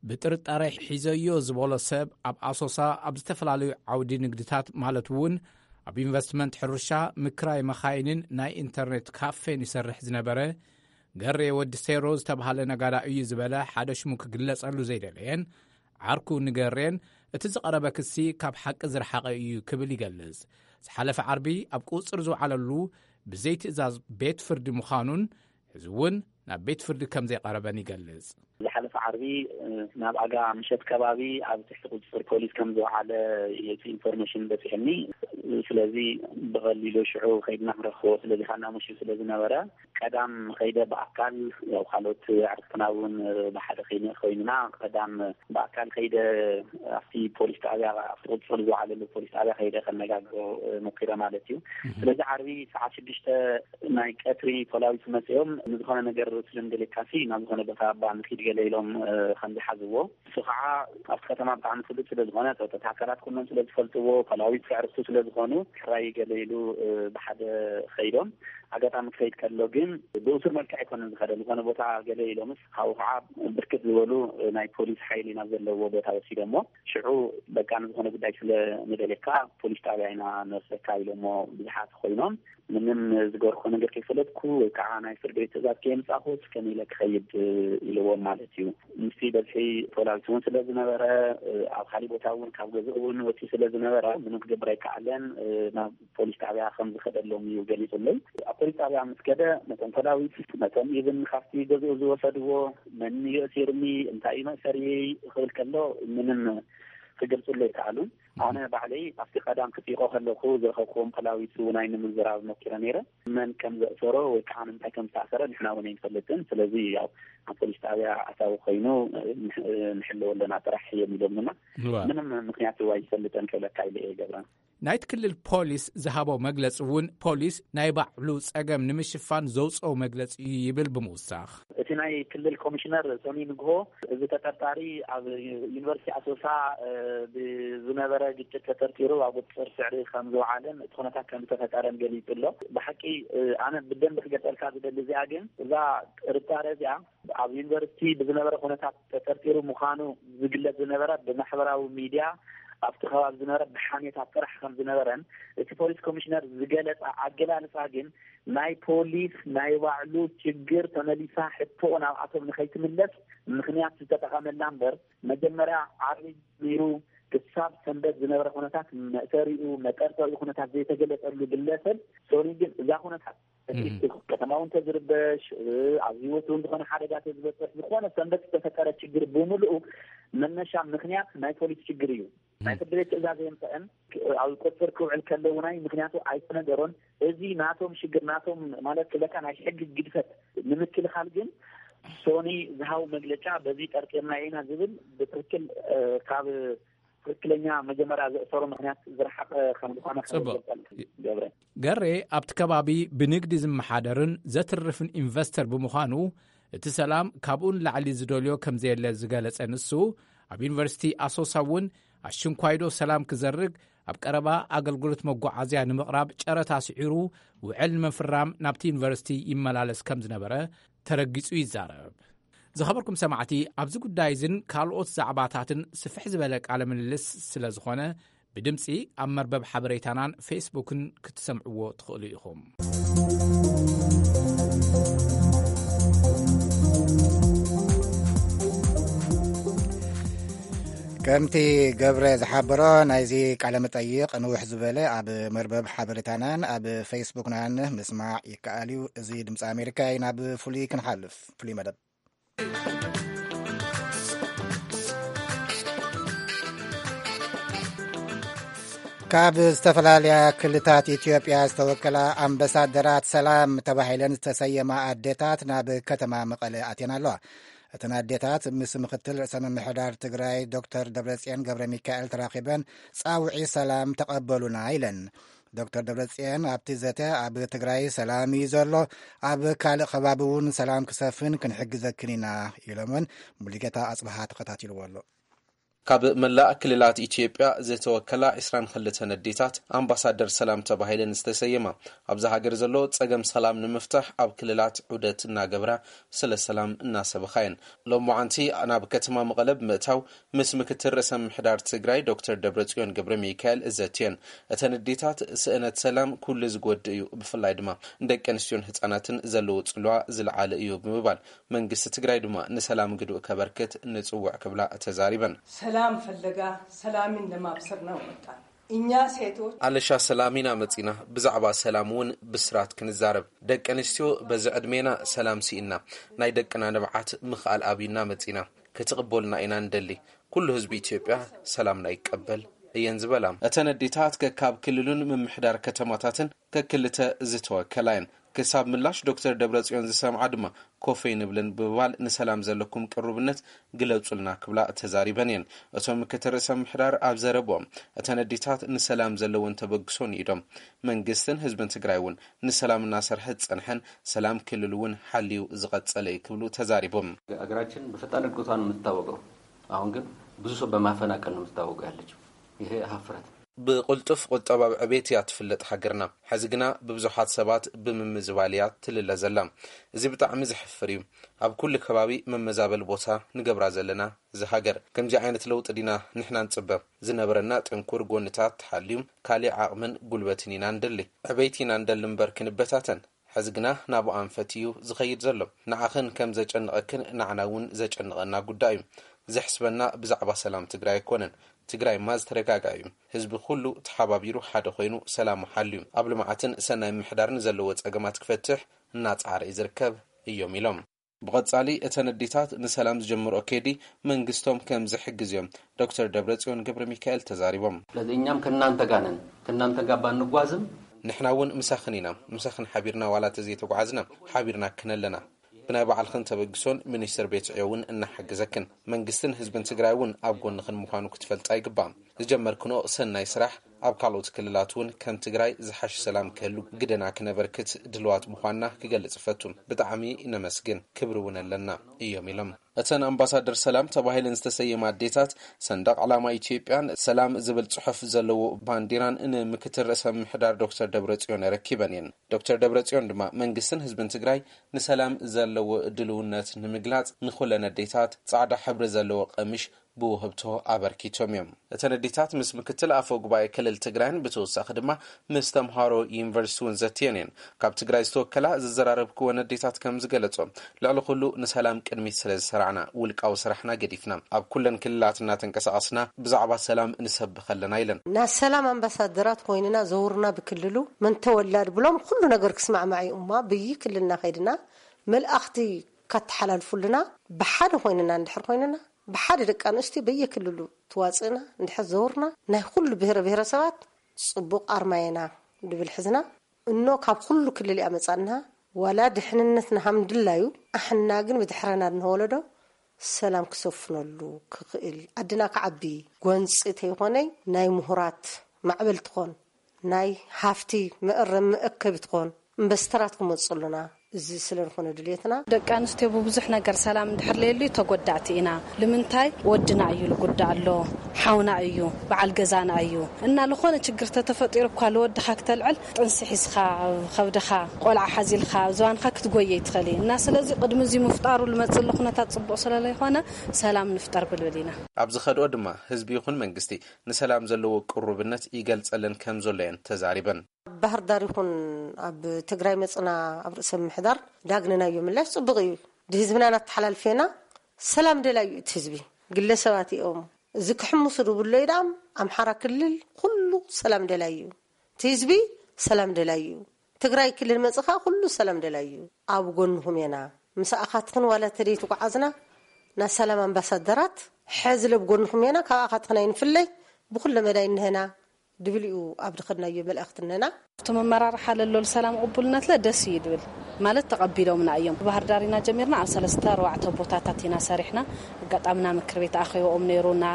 ብጥርጣረ ሒዘዮ ዝበሎ ሰብ ኣብ ኣሶሳ ኣብ ዝተፈላለዩ ዓውዲ ንግድታት ማለት እውን ኣብ ኢንቨስትመንት፣ ሕርሻ፣ ምክራይ መኻይንን ናይ ኢንተርኔት ካፌን ይሰርሕ ዝነበረ ገሬ ወዲ ሴሮ ዝተባህለ ነጋዳ እዩ ዝበለ ሓደ ሽሙ ክግለጸሉ ዘይደለየን ዓርኩ ንገሬን እቲ ዝቐረበ ክሲ ካብ ሓቂ ዝረሓቐ እዩ ክብል ይገልጽ። ዝሓለፈ ዓርቢ ኣብ ቁጽር ዝወዓለሉ ብዘይ ትእዛዝ ቤት ፍርዲ ምዃኑን ሕዚ እውን ናብ ቤት ፍርዲ ከም ዘይቐረበን ይገልጽ። ዝሓለፈ ዓርቢ ናብ ኣጋ ምሸት ከባቢ ኣብ ትሕቲ ቁጽር ፖሊስ ከም ዝወዓለ እቲ ኢንፎርሜሽን በፂሕኒ። ስለዚ ብቐሊሉ ሽዑ ከይድና ክንረኽቦ ስለዚ ካና ምሽት ስለ ዝነበረ ቀዳም ከይደ ብኣካል ያው ካልኦት ኣዕርክትና እውን ብሓደ ኮይንና ቀዳም ብኣካል ከይደ ኣብቲ ፖሊስ ጣብያ ኣብቲ ቁፅር ዝወዓለሉ ፖሊስ ጣብያ ከይደ ከነጋግሮ ሞኪረ ማለት እዩ። ስለዚ ዓርቢ ሰዓት ሽዱሽተ ናይ ቀትሪ ፖላዊስ መፅኦም ንዝኾነ ነገር ስለ ንደሌካሲ ናብ ዝኾነ ቦታ እባ ንኪድ ገለ ኢሎም ከም ዝሓዝዎ እሱ ከዓ ኣብቲ ከተማ ብጣዕሚ ፍሉጥ ስለ ዝኾነ ፀጥታ ኣካላት ኩሎም ስለ ዝፈልጥዎ ፖላዊስ ኣዕርክቱ ስለ ዝኾኑ ሕራይ ገለ ኢሉ ብሓደ ከይዶም ኣጋጣሚ ክኸይድ ከሎ ግን ብእሱር መልክዕ ኣይኮነን ዝኸደ ዝኾነ ቦታ ገለ ኢሎምስ ካብኡ ከዓ ብርክት ዝበሉ ናይ ፖሊስ ሓይሊ ናብ ዘለዎ ቦታ ወሲዶሞ ሽዑ በቃ ንዝኾነ ጉዳይ ስለ ንደልየካ ፖሊስ ጣብያ ኢና ንወስደካ ኢሎሞ ብዙሓት ኮይኖም ምንም ዝገርኮ ነገር ከይፈለጥኩ ወይ ከዓ ናይ ፍርድ ቤት ትእዛዝ ከየምፃኹስ ከመይ ኢለ ክኸይድ ኢልዎም ማለት እዩ። ምስቲ በዝሒ ፖላዊስ እውን ስለ ዝነበረ ኣብ ካሊእ ቦታ እውን ካብ ገዝኡ እውን ወፂኡ ስለ ዝነበረ ምንም ክገብር ኣይከኣለን ናብ ፖሊስ ጣብያ ከም ዝኸደሎም እዩ ገሊፁለይ። ኣብ ፖሊስ ጣብያ ምስ ከደ ነቶም ፖላዊስ ነቶም ኢብን ካብቲ ገዝኡ ዝወሰድዎ መን እዩ እሲርኒ እንታይ እዩ መእሰሪ ክብል ከሎ ምንም ክገልፁለይ ከኣሉን ኣነ ባዕለይ ኣብቲ ቀዳም ክፅይቆ ከለኩ ዝረኸብክዎም ፖላዊስ እውን ኣይንምዝራብ ሞኪረ ነይረ። መን ከም ዘእሰሮ ወይ ከዓ ንምንታይ ከም ዝተኣሰረ ንሕና እውን ኣይንፈልጥን። ስለዚ ያው ኣብ ፖሊስ ጣብያ ኣታዊ ኮይኑ ንሕለወ ኣለና ጥራሕ እዮም ኢሎምና። ምንም ምክንያት ኣይፈልጠን ክብለካ ኢለ እየ ገብረ። ናይቲ ክልል ፖሊስ ዝሃቦ መግለፂ እውን ፖሊስ ናይ ባዕሉ ፀገም ንምሽፋን ዘውፅኦ መግለፂ እዩ ይብል ብምውሳኽ። እቲ ናይ ክልል ኮሚሽነር ሶኒ ንግሆ እዚ ተጠርጣሪ ኣብ ዩኒቨርሲቲ ኣሶሳ ብዝነበረ ግጭት ተጠርጢሩ ኣብ ቁፅፅር ስዕሪ ከም ዝወዓለን እቲ ኩነታት ከም ዝተፈጠረን ገሊፁ ኣሎ። ብሓቂ ኣነ ብደንብ ክገልፀልካ ዝደሊ እዚኣ ግን እዛ ጥርጣረ እዚኣ ኣብ ዩኒቨርሲቲ ብዝነበረ ኩነታት ተጠርጢሩ ምዃኑ ዝግለፅ ዝነበረ ብማሕበራዊ ሚድያ ኣብቲ ከባቢ ዝነበረ ብሓሜታ ጥራሕ ከም ዝነበረን እቲ ፖሊስ ኮሚሽነር ዝገለጸ ኣገላልጻ ግን ናይ ፖሊስ ናይ ባዕሉ ችግር ተመሊሳ ሕቶኡ ናብኣቶም ንኸይትምለስ ምኽንያት ዝተጠቐመላ እምበር መጀመርያ ዓርቢ ጀሚሩ ክሳብ ሰንበት ዝነበረ ኩነታት መእሰሪኡ መጠርጠሪኡ ኩነታት ዘይተገለጸሉ ግለሰብ ሶኒ ግን እዛ ኩነታት እቲ ከተማ እውን ተዝርበሽ ኣብ ህይወት እውን ዝኾነ ሓደጋ ተዝበፅሕ ዝኾነ ሰንበት ዝተፈጠረ ችግር ብምልኡ መነሻ ምክንያት ናይ ፖሊስ ችግር እዩ። ናይ ፍርዲ ቤት ትእዛዝ የምፀአን ኣብ ቁፅር ክውዕል ከለውናይ ምክንያቱ ኣይተነገሮን። እዚ ናቶም ሽግር ናቶም ማለት ክለካ ናይ ሕጊ ግድፈት ንምክልኻል ግን ሶኒ ዝሃው መግለጫ በዚ ጠርጢርና ኢና ዝብል ብትክክል ካብ ትክክለኛ መጀመርያ ዘእሰሩ ምክንያት ዝረሓቀ ከም ዝኾነ ጽቡቅ። ገብረ ገሬ ኣብቲ ከባቢ ብንግዲ ዝመሓደርን ዘትርፍን ኢንቨስተር ብምዃኑ እቲ ሰላም ካብኡ ንላዕሊ ዝደልዮ ከም ዘየለ ዝገለጸ ንሱ፣ ኣብ ዩኒቨርሲቲ ኣሶሳ እውን ኣሽንኳይዶ ሰላም ክዘርግ ኣብ ቀረባ ኣገልግሎት መጓዓዝያ ንምቕራብ ጨረታ ስዒሩ ውዕል ንምፍራም ናብቲ ዩኒቨርሲቲ ይመላለስ ከም ዝነበረ ተረጊጹ ይዛረብ። ዝኸበርኩም ሰማዕቲ፣ ኣብዚ ጉዳይ እዝን ካልኦት ዛዕባታትን ስፍሕ ዝበለ ቃለ ምልልስ ስለ ዝኾነ ብድምፂ ኣብ መርበብ ሓበሬታናን ፌስቡክን ክትሰምዕዎ ትኽእሉ ኢኹም። ከምቲ ገብረ ዝሓበሮ ናይዚ ቃለ መጠይቕ ንውሕ ዝበለ ኣብ መርበብ ሓበሬታናን ኣብ ፌስቡክናን ምስማዕ ይከኣል እዩ። እዚ ድምፂ ኣሜሪካ እዩ። ናብ ፍሉይ ክንሓልፍ ፍሉይ መደብ ካብ ዝተፈላለያ ክልታት ኢትዮጵያ ዝተወከላ ኣምባሳደራት ሰላም ተባሂለን ዝተሰየማ ኣዴታት ናብ ከተማ መቐለ ኣትየን ኣለዋ። እተን ኣዴታት ምስ ምክትል ርእሰ ምምሕዳር ትግራይ ዶክተር ደብረጽዮን ገብረ ሚካኤል ተራኺበን ጻውዒ ሰላም ተቐበሉና ኢለን። ዶክተር ደብረጽዮን ኣብቲ ዘተ ኣብ ትግራይ ሰላም እዩ ዘሎ፣ ኣብ ካልእ ከባቢ እውን ሰላም ክሰፍን ክንሕግዘክን ኢና ኢሎምን። ሙሉጌታ ኣጽብሃ ተኸታቲልዎ ኣሎ። ካብ መላእ ክልላት ኢትዮጵያ ዝተወከላ ዕስራን ክልተን ኣዴታት ኣምባሳደር ሰላም ተባሂለን ዝተሰየማ ኣብዛ ሃገር ዘሎ ጸገም ሰላም ንምፍታሕ ኣብ ክልላት ዑደት እናገብራ ስለ ሰላም እናሰበኻ እየን። ሎማዓንቲ ናብ ከተማ መቐለ ብምእታው ምስ ምክትል ርእሰ ምምሕዳር ትግራይ ዶክተር ደብረጽዮን ገብረ ሚካኤል እዘትየን። እተን ኣዴታት ስእነት ሰላም ኩሉ ዝጎድእ እዩ፣ ብፍላይ ድማ ንደቂ ኣንስትዮን ህጻናትን ዘለዎ ጽልዋ ዝለዓለ እዩ ብምባል መንግስቲ ትግራይ ድማ ንሰላም ግድኡ ከበርክት ንጽውዕ ክብላ ተዛሪበን። ሰላም ፈለጋ ሰላምን ለማብሰር ነው መጣን እኛ ሴቶች ኣለሻ ሰላም ኢና መጺና፣ ብዛዕባ ሰላም እውን ብስራት ክንዛረብ። ደቂ ኣንስትዮ በዚ ዕድሜና ሰላም ስኢና ናይ ደቅና ንብዓት ምኽኣል ኣብዩና መጺና። ክትቕበሉና ኢና ንደሊ። ኩሉ ህዝቢ ኢትዮጵያ ሰላምና ይቀበል እየን ዝበላ። እተን ኣዴታት ከካብ ክልሉን ምምሕዳር ከተማታትን ከክልተ ዝተወከላ እየን። ክሳብ ምላሽ ዶክተር ደብረጽዮን ዝሰምዓ ድማ ኮፍ ኣይንብልን ብምባል ንሰላም ዘለኩም ቅሩብነት ግለጹልና ክብላ ተዛሪበን እየን። እቶም ምክትል ርእሰ ምምሕዳር ኣብ ዘረብኦም እተን ኣዴታት ንሰላም ዘለወን ተበግሶ ንኢዶም። መንግስትን ህዝብን ትግራይ እውን ንሰላም እናሰርሐ ዝጸንሐን ሰላም ክልል እውን ሓልዩ ዝቐጸለ እዩ ክብሉ ተዛሪቦም። ሀገራችን በፈጣን እድገቷ ነው የምትታወቀው። አሁን ግን ብዙ ሰው በማፈናቀል ነው የምትታወቀው ያለችው። ይሄ ሀፍረት ብቕልጡፍ ቁጠባዊ ዕቤት እያ ትፍለጥ ሃገርና። ሕዚ ግና ብብዙሓት ሰባት ብምምዝባል እያ ትልለ ዘላ። እዚ ብጣዕሚ ዘሕፍር እዩ። ኣብ ኩሉ ከባቢ መመዛበል ቦታ ንገብራ ዘለና። እዚ ሃገር ከምዚ ዓይነት ለውጢ ዲና ንሕና ንጽበ? ዝነበረና ጥንኩር ጎንታት ተሓልዩ ካሊእ ዓቕምን ጉልበትን ኢና ንደሊ። ዕቤት ኢና ንደሊ እምበር ክንበታተን። ሕዚ ግና ናብኡ ኣንፈት እዩ ዝኸይድ ዘሎ። ንዓኽን ከም ዘጨንቐክን ንዓና እውን ዘጨንቐና ጉዳይ እዩ። ዘሕስበና ብዛዕባ ሰላም ትግራይ ኣይኮነን። ትግራይማ ዝተረጋጋ እዩ። ህዝቢ ኩሉ ተሓባቢሩ ሓደ ኮይኑ ሰላሙ ሓልዩ ኣብ ልምዓትን ሰናይ ምምሕዳርን ዘለዎ ጸገማት ክፈትሕ እናጸዓረ እዩ ዝርከብ እዮም ኢሎም። ብቐጻሊ እተን ኣዴታት ንሰላም ዝጀምርኦ ከይዲ መንግስቶም ከም ዝሕግዝ እዮም ዶክተር ደብረጽዮን ገብረ ሚካኤል ተዛሪቦም። ስለዚህ እኛም ከእናንተ ጋር ነን፣ ከእናንተ ጋር ባንጓዝም ንሕና እውን ምሳኽን ኢና፣ ምሳኽን ሓቢርና ዋላ ተዘይተጓዓዝና ሓቢርናክን ኣለና። ብናይ ባዕልኽን ተበግሶን ሚኒስትር ቤት ዕዮ እውን እናሓገዘክን። መንግስትን ህዝብን ትግራይ እውን ኣብ ጎንኽን ምዃኑ ክትፈልጣ ይግባእ። ዝጀመርክንኦ ሰናይ ስራሕ ኣብ ካልኦት ክልላት እውን ከም ትግራይ ዝሓሸ ሰላም ክህሉ ግደና ክነበርክት ድልዋት ምዃንና ክገልጽ እፈቱ። ብጣዕሚ ነመስግን፣ ክብሪ እውን ኣለና እዮም ኢሎም። እተን ኣምባሳደር ሰላም ተባሂለን ዝተሰየማ ኣዴታት ሰንደቕ ዕላማ ኢትዮጵያን ሰላም ዝብል ጽሑፍ ዘለዎ ባንዲራን ንምክትል ርእሰ ምምሕዳር ዶክተር ደብረጽዮን ኣረኪበን እየን። ዶክተር ደብረጽዮን ድማ መንግስትን ህዝብን ትግራይ ንሰላም ዘለዎ ድልውነት ንምግላጽ ንኹለን ኣዴታት ጻዕዳ ሕብሪ ዘለዎ ቀሚሽ ብውህብቶ ኣበርኪቶም እዮም። እተን ኣዴታት ምስ ምክትል ኣፈ ጉባኤ ክልል ትግራይን ብተወሳኺ ድማ ምስ ተምሃሮ ዩኒቨርሲቲ እውን ዘትየን እየን። ካብ ትግራይ ዝተወከላ ዘዘራረብክወን ኣዴታት ከም ዝገለጾ፣ ልዕሊ ኩሉ ንሰላም ቅድሚት ስለ ዝሰራዕና፣ ውልቃዊ ስራሕና ገዲፍና ኣብ ኩለን ክልላት እናተንቀሳቐስና ብዛዕባ ሰላም ንሰብኽ ኣለና ኢለን። ናይ ሰላም ኣምባሳደራት ኮይንና ዘውርና ብክልሉ መን ተወላድ ብሎም ኩሉ ነገር ክስማዕማዕ እዩ እማ ብይ ክልልና ከይድና መልእኽቲ ካተሓላልፉልና ብሓደ ኮይንና እንድሕር ኮይንና ብሓደ ደቂ ኣንስትዮ በየክልሉ ትዋፅእና እንድሕር ዘውርና ናይ ኩሉ ብሄረ ብሄረሰባት ፅቡቕ ኣርማየና ድብል ሕዝና እኖ ካብ ኩሉ ክልል እያ መፃና ዋላ ድሕንነትና ሃምድላዩ ኣሕና ግን ብድሕረና ድንወለዶ ሰላም ክሰፍነሉ ክኽእል ኣድና ክዓቢ ጎንፂ ተይኾነይ ናይ ምሁራት ማዕበል ትኾን ናይ ሃፍቲ መእረም መእከቢ ትኾን ኢንቨስተራት ክመፁ ኣለና። እዚ ስለ ዝኾነ ድልየትና ደቂ ኣንስትዮ ብብዙሕ ነገር ሰላም እንድሕር ለየሉ ተጎዳእቲ ኢና። ንምንታይ ወድና እዩ ልጉዳ ኣሎ ሓውና እዩ በዓል ገዛና እዩ እና ለኾነ ችግር ተተፈጢሩ እኳ ለወድኻ ክተልዕል ጥንሲ ሒዝኻ ከብድኻ ቆልዓ ሓዚልካ ዝባንካ ክትጎየ ይትኸል እና ስለዚ ቅድሚ እዚ ምፍጣሩ ልመፅእ ኣሎ ኩነታት ፅቡቕ ስለ ለይኾነ ሰላም ንፍጠር ብልብል ኢና። ኣብ ዝኸድኦ ድማ ህዝቢ ይኹን መንግስቲ ንሰላም ዘለዎ ቅሩብነት ይገልጸለን ከም ዘሎ እየን ተዛሪበን። ኣብ ባህር ዳር ይኹን ኣብ ትግራይ መፅና ኣብ ርእሰ ምምሕዳር ዳግንናዮ ምላሽ ፅቡቕ እዩ። ድህዝብና ናተሓላልፌና ሰላም ደላዩ እቲ ህዝቢ ግለሰባት እዮም። እዚ ክሕምሱ ድብሎ እዩ ዳም ኣምሓራ ክልል ኩሉ ሰላም ደላዩ እዩ። እቲ ህዝቢ ሰላም ደላዩ እዩ። ትግራይ ክልል መፅኻ ኩሉ ሰላም ደላዩ እዩ። ኣብ ጎንኹም የና ምሳኣኻትኽን ዋላ ተደይ ትጓዓዝና ናይ ሰላም ኣምባሳደራት ሕዚ ለብ ጎንኹም የና ካብ ኣኻትኽን ኣይንፍለይ ብኩለ መዳይ እንሀና ድብል እዩ ኣብ ድኸድናዮ መልእኽትነና። እቲ መመራርሓ ለሎ ሰላም ቅቡልነት ለ ደስ እዩ ድብል ማለት ተቐቢሎምና እዮም። ባህር ዳር ኢና ጀሚርና ኣብ ሰለስተ ኣርባዕተ ቦታታት ኢና ሰሪሕና። ኣጋጣምና ምክር ቤት ኣኸይቦኦም ነይሩ፣ ና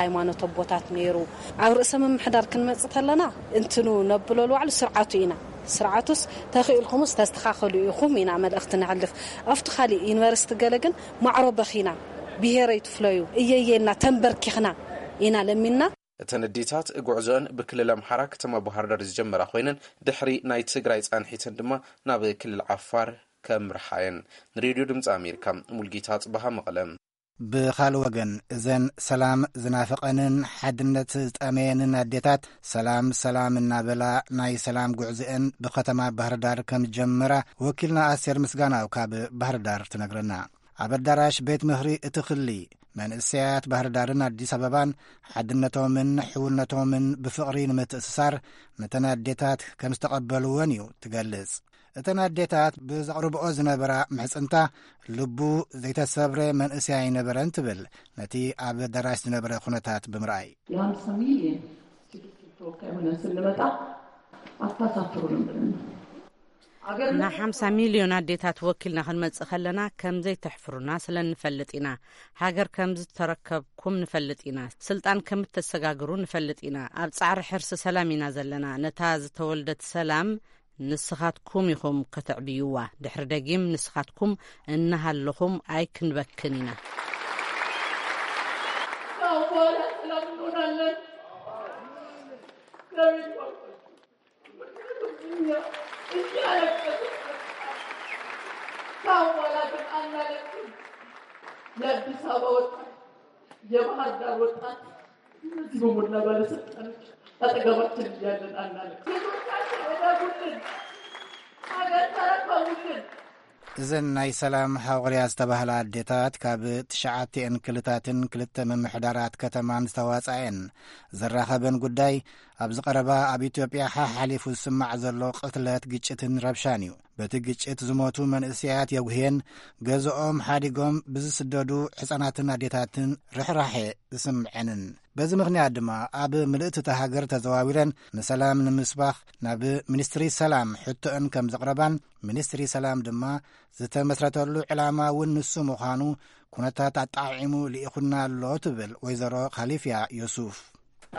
ሃይማኖት ኣቦታት ነይሩ። ኣብ ርእሰ ምምሕዳር ክንመጽእ ተለና እንትኑ ነብሎ ልባዕሉ ስርዓቱ ኢና። ስርዓቱስ ተኽኢልኩምስ ተስተኻኸሉ ኢኹም ኢና መልእኽቲ ነሕልፍ። ኣብቲ ካሊእ ዩኒቨርሲቲ ገለ ግን ማዕሮ በኺና ብሄረይ ትፍለዩ እየየና ተንበርኪኽና ኢና ለሚንና። እተን ኣዴታት ጉዕዞአን ብክልል ኣምሓራ ከተማ ባህርዳር ዝጀመራ ኮይነን ድሕሪ ናይ ትግራይ ፃንሒተን ድማ ናብ ክልል ዓፋር ከምርሓ እየን። ንሬድዮ ድምፂ ኣሜሪካ ሙልጌታ ፅባሃ መቐለ። ብኻልእ ወገን እዘን ሰላም ዝናፈቐንን ሓድነት ዝጠመየንን ኣዴታት ሰላም ሰላም እናበላ ናይ ሰላም ጉዕዞአን ብከተማ ባህርዳር ከም ዝጀመራ ወኪልና ኣስቴር ምስጋናው ካብ ባህርዳር ትነግረና። ኣብ ኣዳራሽ ቤት ምኽሪ እቲ ክሊ መንእሰያት ባህርዳርን ኣዲስ ኣበባን ሓድነቶምን ሕውነቶምን ብፍቕሪ ንምትእስሳር ነተን ኣዴታት ከም ዝተቐበልወን እዩ ትገልጽ። እተን ኣዴታት ብዘቕርብኦ ዝነበራ ምሕጽንታ ልቡ ዘይተሰብረ መንእሰይ ኣይነበረን ትብል ነቲ ኣብ ኣዳራሽ ዝነበረ ኩነታት ብምርኣይ። የሃምሳ ሚልዮን ሴቶች ተወካይ ሆነን ስንመጣ አታሳፍሩንም ብለን ነው። ና ሓምሳ ሚልዮን ኣዴታት ወኪልና ክንመጽእ ከለና ከም ዘይተሕፍሩና ስለ ንፈልጥ ኢና። ሃገር ከም ዝተረከብኩም ንፈልጥ ኢና። ስልጣን ከም እተሰጋግሩ ንፈልጥ ኢና። ኣብ ጻዕሪ ሕርሲ ሰላም ኢና ዘለና። ነታ ዝተወልደት ሰላም ንስኻትኩም ኢኹም ከተዕብይዋ። ድሕሪ ደጊም ንስኻትኩም እናሃለኹም ኣይክንበክን ኢና። ካሁን በኋላ ሰላም እንሆናለን። እግዚአብሔር ይባርካችሁ። ምክንያቱም እኛ እያለቀስን ካሁን በኋላ ግን አናለቅስም። የአዲስ አበባ ወጣት፣ የባህር ዳር ወጣት፣ እነዚህ በሞላ ባለስልጣኖች አጠገባችን እያለን አናለቅስም። ልጆቻችን እደጉልን፣ ሀገር ተረከቡልን። እዘን ናይ ሰላም ሃቑርያ ዝተባህላ ኣዴታት ካብ ትሽዓቲኤን ክልታትን ክልተ ምምሕዳራት ከተማን ዝተዋጻኤን ዝራኸበን ጉዳይ ኣብዚ ቀረባ ኣብ ኢትዮጵያ ሓሓሊፉ ዝስማዕ ዘሎ ቅትለት፣ ግጭትን ረብሻን እዩ። በቲ ግጭት ዝሞቱ መንእሰያት የጉህየን፣ ገዝኦም ሓዲጎም ብዝስደዱ ሕጻናትን ኣዴታትን ርሕራሐ ዝስምዐንን። በዚ ምኽንያት ድማ ኣብ ምልእቲ እታ ሃገር ተዘዋዊረን ንሰላም ንምስባኽ ናብ ሚኒስትሪ ሰላም ሕቶአን ከም ዘቕረባን፣ ሚኒስትሪ ሰላም ድማ ዝተመስረተሉ ዕላማ እውን ንሱ ምዃኑ ኩነታት ኣጣዒሙ ልኢኹና ኣሎ ትብል ወይዘሮ ካሊፍያ ዮሱፍ።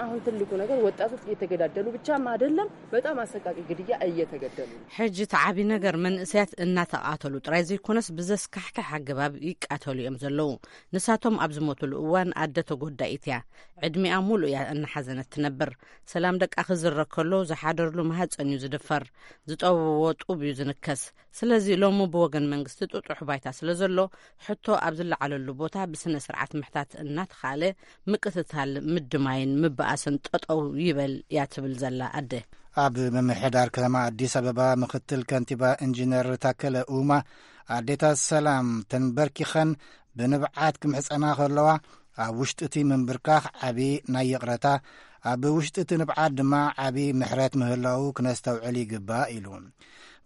አሁን ትልቁ ነገር ወጣቶች እየተገዳደሉ ብቻም አይደለም፣ በጣም አሰቃቂ ግድያ እየተገደሉ ነው። ሕጂ እቲ ዓቢ ነገር መንእሰያት እናተቓተሉ ጥራይ ዘይኮነስ ብዘስካሕክሕ ኣገባብ ይቃተሉ እዮም ዘለዉ። ንሳቶም ኣብ ዝሞትሉ እዋን ኣደ ተጎዳኢት እያ። ዕድሚኣ ሙሉእ እያ እናሓዘነት ትነብር። ሰላም ደቃ ክዝረብ ከሎ ዝሓደርሉ ማህጸን እዩ ዝድፈር። ዝጠወዎ ጡብ እዩ ዝንከስ። ስለዚ ሎሚ ብወገን መንግስቲ ጥጡሕ ባይታ ስለ ዘሎ ሕቶ ኣብ ዝለዓለሉ ቦታ ብስነ ስርዓት ምሕታት እናተኻእለ ምቅትታል ምድማይን ምበኣስን ጠጠው ይበል እያ ትብል ዘላ ኣደ። ኣብ ምምሕዳር ከተማ ኣዲስ ኣበባ ምክትል ከንቲባ ኢንጂነር ታከለ ኡማ ኣዴታት ሰላም ተንበርኪኸን ብንብዓት ክምሕጸና ከለዋ ኣብ ውሽጢ እቲ ምንብርካኽ ዓቢ ናይ ይቕረታ ኣብ ውሽጢ እቲ ንብዓት ድማ ዓቢ ምሕረት ምህላው ክነስተውዕል ይግባእ ኢሉ።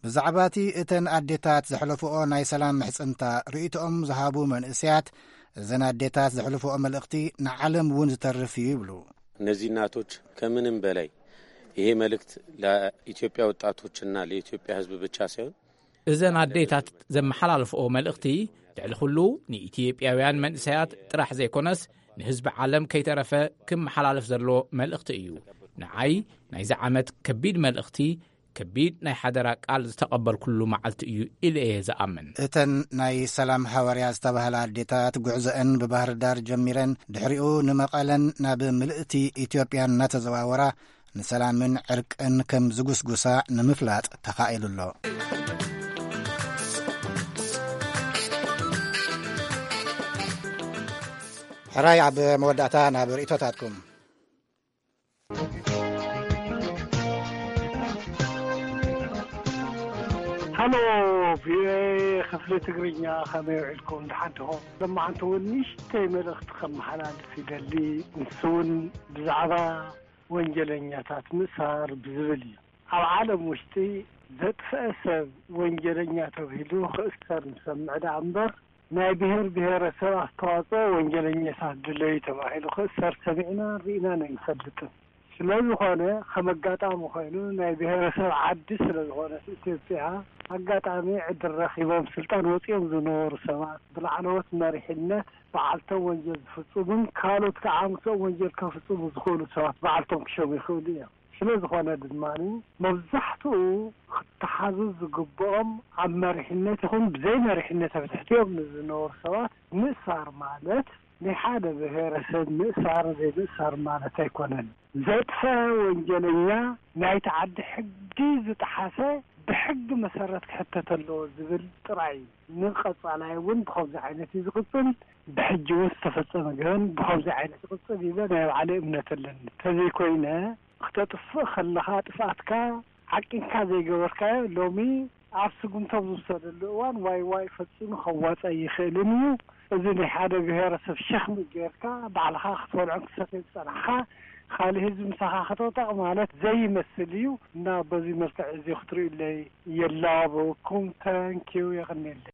ብዛዕባ እቲ እተን ኣዴታት ዘሕለፍኦ ናይ ሰላም ምሕጽንታ ርእይቶኦም ዝሃቡ መንእሰያት እዘን ኣዴታት ዘሕልፍኦ መልእኽቲ ንዓለም እውን ዝተርፍ እዩ ይብሉ። እነዚህ እናቶች ከምንም በላይ ይሄ መልእክት ለኢትዮጵያ ወጣቶችና ለኢትዮጵያ ሕዝብ ብቻ ሳይሆን እዘን ኣዴታት ዘመሓላልፍኦ መልእኽቲ ልዕሊ ኩሉ ንኢትዮጵያውያን መንእሰያት ጥራሕ ዘይኮነስ ንህዝቢ ዓለም ከይተረፈ ክመሓላለፍ ዘሎ መልእኽቲ እዩ። ንዓይ ናይዚ ዓመት ከቢድ መልእኽቲ ከቢድ ናይ ሓደራ ቃል ዝተቐበልኩሉ መዓልቲ እዩ ኢለ እየ ዝኣምን። እተን ናይ ሰላም ሃዋርያ ዝተባህላ ኣዴታት ጉዕዘአን ብባህር ዳር ጀሚረን ድሕሪኡ ንመቐለን ናብ ምልእቲ ኢትዮጵያ እናተዘዋወራ ንሰላምን ዕርቅን ከም ዝጉስጉሳ ንምፍላጥ ተኻኢሉ ኣሎ። ሕራይ ኣብ መወዳእታ ናብ ርእይቶታትኩም። ሃሎ ቪኦኤ ክፍሊ ትግርኛ፣ ከመይ ውዒልኩም? ደሓን ዲኹም? ሎማዓንቲ እውን ንእሽተይ መልእኽቲ ከመሓላልፍ ይደሊ። ንሱ እውን ብዛዕባ ወንጀለኛታት ምእሳር ብዝብል እዩ። ኣብ ዓለም ውሽጢ ዘጥፍአ ሰብ ወንጀለኛ ተብሂሉ ክእሰር ንሰምዕ ደኣ እምበር፣ ናይ ብሔር ብሔረሰብ ኣስተዋፅኦ ወንጀለኛታት ድለዩ ተባሂሉ ክእሰር ሰሚዕና ርኢናን ኣይንፈልጥን። ስለ ዝኾነ ከም ኣጋጣሚ ኮይኑ ናይ ብሔረሰብ ዓዲ ስለ ዝኾነት ኢትዮጵያ ኣጋጣሚ ዕድል ረኺቦም ስልጣን ወፂኦም ዝነበሩ ሰባት ብላዕለዎት መሪሕነት በዓልቶም ወንጀል ዝፍፅሙን ካልኦት ከዓ ምስኦም ወንጀል ከፍፅሙ ዝኽእሉ ሰባት በዓልቶም ክሸሙ ይኽእሉ እዮም። ስለ ዝኾነ ድማ መብዛሕትኡ ክተሓዙ ዝግብኦም ኣብ መሪሕነት ይኹን ብዘይ መሪሕነት ኣብ ትሕቲኦም ንዝነበሩ ሰባት ምእሳር ማለት ናይ ሓደ ብሔረሰብ ምእሳር ዘይምእሳር ማለት ኣይኮነን። ዘጥፈ ወንጀለኛ ናይቲ ዓዲ ሕጊ ዝጠሓሰ ብሕጊ መሰረት ክሕተት ኣለዎ ዝብል ጥራይ እዩ። ንቐጻላይ እውን ብኸምዚ ዓይነት እዩ ዝቕጽል። ብሕጂ እውን ዝተፈጸመ ገበን ብኸምዚ ዓይነት ይቕጽል ኢለ ናይ ባዕለይ እምነት ኣለኒ። ተዘይኮይነ ክተጥፍእ ከለኻ ጥፍኣትካ ዓቂንካ ዘይገበርካዮ ሎሚ ኣብ ስጉምቶም ዝውሰደሉ እዋን ዋይ ዋይ ፈጺሙ ከዋጽእ ኣይኽእልን እዩ። እዚ ናይ ሓደ ብሄረሰብ ሸኽሚ ጌርካ ባዕልኻ ክትበልዖን ክትሰትዮ ዝጸናሕካ ካልእ ህዝቢ ምሳኻ ክጥቕጠቕ ማለት ዘይመስል እዩ እና በዚ መልክዕ እዚ ክትርእዩለይ የላበወኩም። ተንኪዩ የቕንየለይ።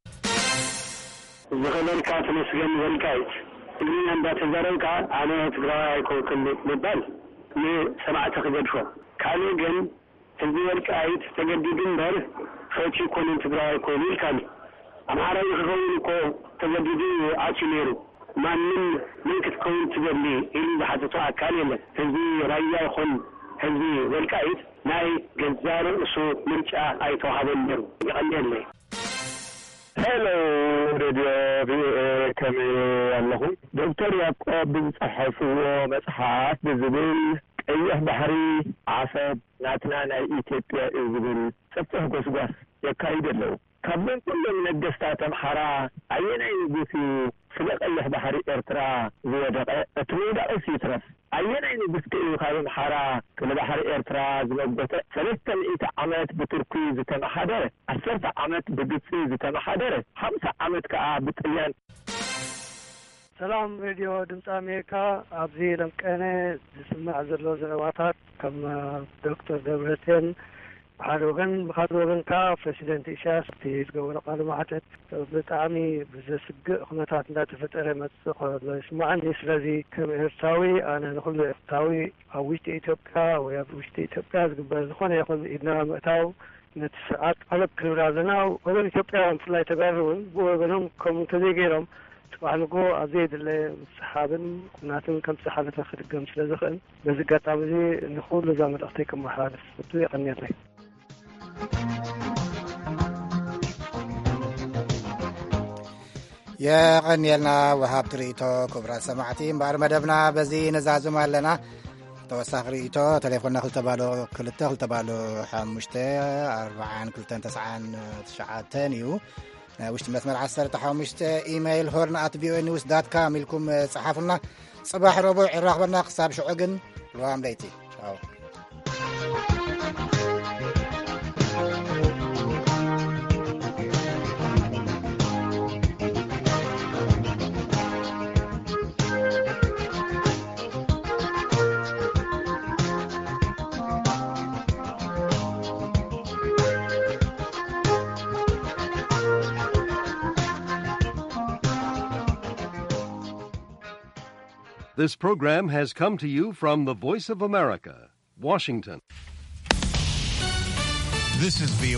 ዝኸበርካ ተመስገን ወልቃይት፣ ትግርኛ እንዳተዛረብካ ኣነ ትግራዋይ ኣይኮንኩን ምባል ንሰማዕቲ ክገድፎ። ካልእ ግን ህዝቢ ወልቃይት ተገዲዱ እምበር ፈትዩ ኣይኮነን ትግራዋይ ኮይኑ ኢልካኒ። ኣምሓራይ ንክኸውን እኮ ተገዲዱ እዩ ኣትዩ ነይሩ። ማንም መን ክትከውን ትደሊ ኢሉ ዝሓተቶ ኣካል የለን። ህዝቢ ራያ ይኹን ህዝቢ ወልቃይት ናይ ገዛ ርእሱ ምርጫ ኣይተዋሃቦን ነይሩ። የቐንየለይ። ሄሎ ሬድዮ ቪኦኤ፣ ከመይ ኣለኹም? ዶክተር ያዕቆብ ብዝጸሓፍዎ መጽሓፍ ብዝብል ቀይሕ ባሕሪ ዓሰብ ናትና ናይ ኢትዮጵያ እዩ ዝብል ሰፊሕ ጎስጓስ የካይዱ ኣለዉ። ካብዞም ኩሎም ነገስታት ኣምሓራ ኣየናይ ንጉስ እዩ ስለ ቀይሕ ባሕሪ ኤርትራ ዝወደቐ? እቲ ምውዳቕስ ይትረፍ፣ ኣየናይ ንጉስ ከ እዩ ካብ ኣምሓራ ስለ ባሕሪ ኤርትራ ዝመጎተ? ሰለስተ ሚእቲ ዓመት ብቱርኪ ዝተመሓደረ፣ ዓሰርተ ዓመት ብግብጺ ዝተመሓደረ፣ ሓምሳ ዓመት ከኣ ብጥልያን። ሰላም ሬድዮ ድምፂ ኣሜሪካ። ኣብዚ ለምቀነ ዝስማዕ ዘሎ ዘረባታት ከም ዶክተር ደብረፅዮን ብሓደ ወገን፣ ብኻልእ ወገን ከዓ ፕረሲደንት ኢሳያስ እቲ ዝገበሮ ቃለ መሕተት ብጣዕሚ ብዘስግእ ኩነታት እንዳተፈጠረ መፅእ ከሎ ይስማዓኒ። ስለዚ ከም ኤርትራዊ ኣነ ንኩሉ ኤርትራዊ ኣብ ውሽጢ ኢትዮጵያ ወይ ኣብ ውሽጢ ኢትዮጵያ ዝግበር ዝኾነ ይኹን ኢድና ምእታው ነቲ ስርዓት ኣለብ ክንብል ኣለና። ወገን ኢትዮጵያውያን ብፍላይ ተጋሩ እውን ብወገኖም ከምኡ እንተዘይገይሮም ጽባሕ ንጎ ኣብ ዘየድለ ምስሓብን ኩናትን ከምቲ ዝሓለፈ ክድገም ስለ ዝኽእል፣ በዚ ኣጋጣሚ እዚ ንኹሉ እዛ መልእኽተይ ከመሓላልፍ እቱ የቐንየለይ። የቐንየልና ወሃብ ትርኢቶ። ክቡራት ሰማዕቲ፣ እምበኣር መደብና በዚ ነዛዝም ኣለና። ተወሳኺ ርእይቶ፣ ቴሌፎንና ክልተ ባዶ ክልተ፣ ክልተ ባዶ ሓሙሽተ፣ ኣርባዓን ክልተን ተስዓን ትሽዓተን እዩ። ናይ ውሽጢ መስመር ዓሰርተ ሓሙሽተ፣ ኢሜይል ሆርን ኣት ቪኦኤ ኒውስ ዳት ካም ኢልኩም ጸሓፉልና። ጽባሕ ረቡዕ ይራኽበና። ክሳብ ሽዑ ግን ልዋም ለይቲ። ቻው። This program has come to you from the Voice of America, Washington. This is V O A.